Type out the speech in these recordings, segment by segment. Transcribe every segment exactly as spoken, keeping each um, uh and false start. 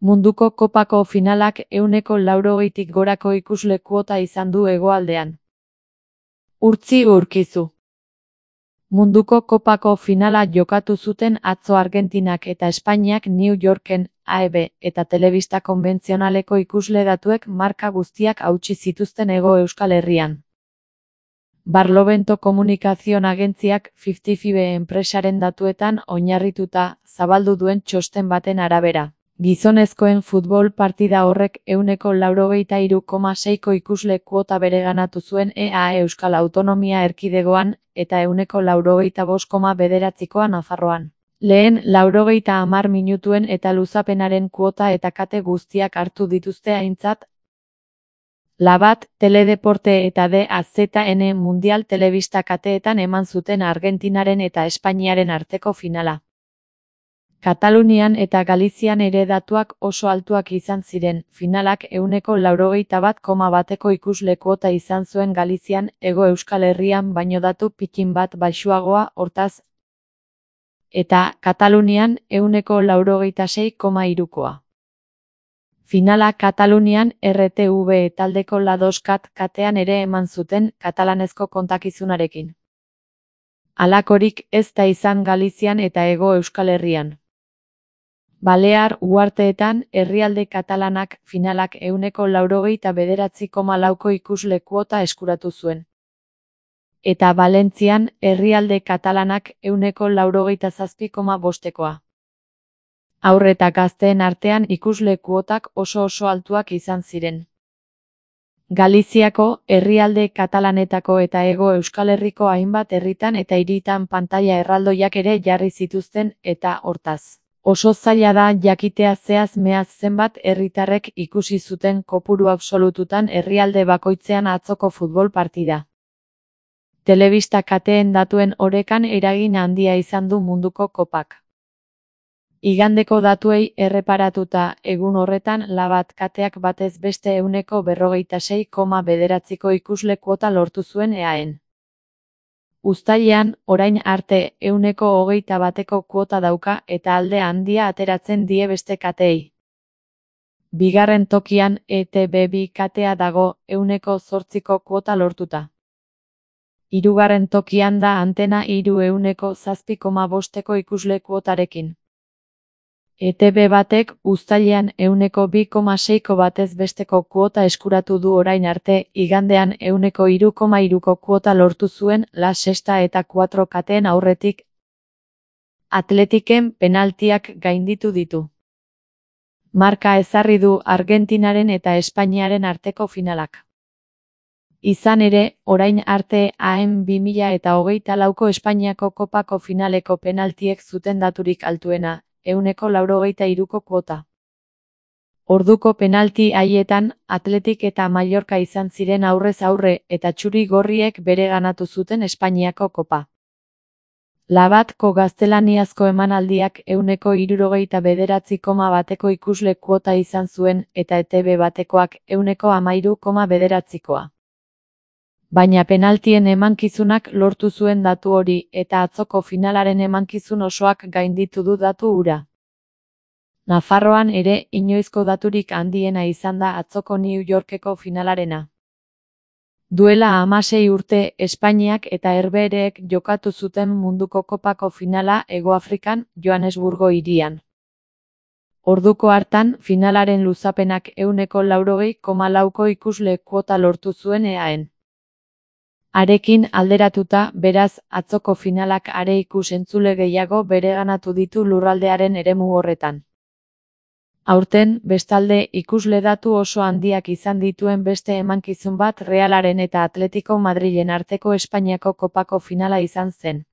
Munduko kopako finalak ehuneko laurogeitik gorako ikusle kuota izan du hegoaldean. Urtzi Urkizu. Munduko kopako finala jokatu zuten atzo Argentinak eta Espainiak New Yorken, A E B eta telebista konbentzionaleko ikusle datuek marka guztiak hautsi zituzten Hego Euskal Herrian. Barlovento Komunikazion agentziak fifty five enpresaren datuetan oinarrituta zabaldu duen txosten baten arabera. Gizonezkoen futbol partida horrek ehuneko laurogeita hiru koma seiko ikusle kuota bereganatu zuen E A E Euskal Autonomia Erkidegoan eta ehuneko laurogeita bost koma bederatzikoa Nafarroan. Lehen laurogeita hamar minutuen eta luzapenaren kuota eta kate guztiak hartu dituzte aintzat. Labat, Teledeporte eta D A Z N Mundial Telebista kateetan eman zuten Argentinaren eta Espainiaren arteko finala. Katalunian eta Galizian ere datuak oso altuak izan ziren, finalak ehuneko laurogeita bat koma bateko ikusle kuota izan zuen Galizian, Hego Euskal Herrian baino datu pikin bat baxuagoa hortaz, eta Katalunian ehuneko laurogeita sei koma hirukoa. Finala Katalunian R T V taldeko Ladoskat katean ere eman zuten katalanezko kontakizunarekin. Halakorik ez da izan Galizian eta Hego Euskal Herrian. Balear uharteetan herrialde katalanak finalak ehuneko laurogeita bederatzi koma lauko ikusle kuota eskuratu zuen. Eta Valentzian herrialde katalanak ehuneko laurogeita zazpi koma bostekoa. Haur eta gazteen artean ikusle kuotak oso oso altuak izan ziren. Galiziako, herrialde katalanetako eta Hego Euskal Herriko hainbat herritan eta hiritan pantaila erraldoiak ere jarri zituzten eta hortaz. Oso zaila da jakitea zehaz mehaz zenbat herritarrek ikusi zuten kopuru absolututan herrialde bakoitzean atzoko futbol partida. Telebista kateen datuen orekan eragin handia izan du munduko kopak. Igandeko datuei erreparatuta egun horretan Labat kateak batez beste ehuneko berrogeita sei koma bederatziko ikusle kuota lortu zuen E A En. Uztailean, orain arte ehuneko hogeita bateko kuota dauka eta alde handia ateratzen die beste kateei. Bigarren tokian E T B bi katea dago ehuneko zortziko kuota lortuta. Hirugarren tokian da Antena hiru ehuneko zazpi koma bosteko ikusle kuotarekin. E T B batek uztailean ehuneko bi koma seiko batez besteko kuota eskuratu du orain arte, igandean ehuneko hiru koma hiruko kuota lortu zuen La Sexta eta Cuatro kateen aurretik. Atletiken penaltiak gainditu ditu. Marka ezarri du Argentinaren eta Espainiaren arteko finalak. Izan ere, orain arte A E M bi mila hogeita lauko Espainiako kopako finaleko penaltiek zuten daturik altuena, ehuneko laurogeita hiruko kuota. Orduko penalti haietan, Atletik eta Mallorca izan ziren aurrez aurre eta txuri gorriek bereganatu zuten Espainiako kopa. Labatko gaztelaniazko emanaldiak ehuneko hirurogeita bederatzi koma bateko ikusle kuota izan zuen eta E T B batekoak ehuneko hamairu koma bederatzikoa. Baina penaltien emankizunak lortu zuen datu hori eta atzoko finalaren emankizun osoak gainditu du datu hura. Nafarroan ere inoizko daturik handiena izan da atzoko New Yorkeko finalarena. Duela hamasei urte Espainiak eta Herbehereek jokatu zuten munduko kopako finala Hego Afrikan, Johannesburgo hirian. Orduko hartan finalaren luzapenak ehuneko laurogei koma lauko ikusle kuota lortu zuen E A En. Arekin alderatuta, beraz, atzoko finalak are ikus-entzule gehiago bereganatu ditu lurraldearen eremu horretan. Aurten, bestalde, ikusle datu oso handiak izan dituen beste emankizun bat Realaren eta Atletico Madrilen arteko Espainiako kopako finala izan zen.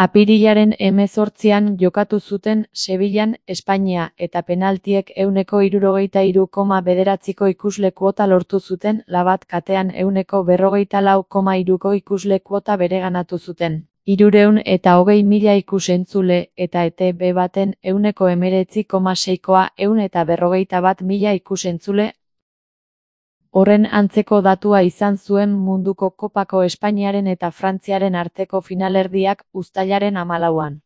Apirilaren hemezortzian jokatu zuten Sevillan, Espainia eta penaltiek ehuneko hirurogeita hiru koma bederatziko ikusle kuota lortu zuten Labat katean ehuneko berrogeita lau koma hiruko ikusle kuota bereganatu zuten. Hirurehun eta hogei mila ikus-entzule eta E T B baten ehuneko hemeretzi koma seikoa ehun eta berrogeita bat mila ikus-entzule. Horren antzeko datua izan zuen munduko kopako Espainiaren eta Frantziaren arteko finalerdiak uztailaren hamalauan.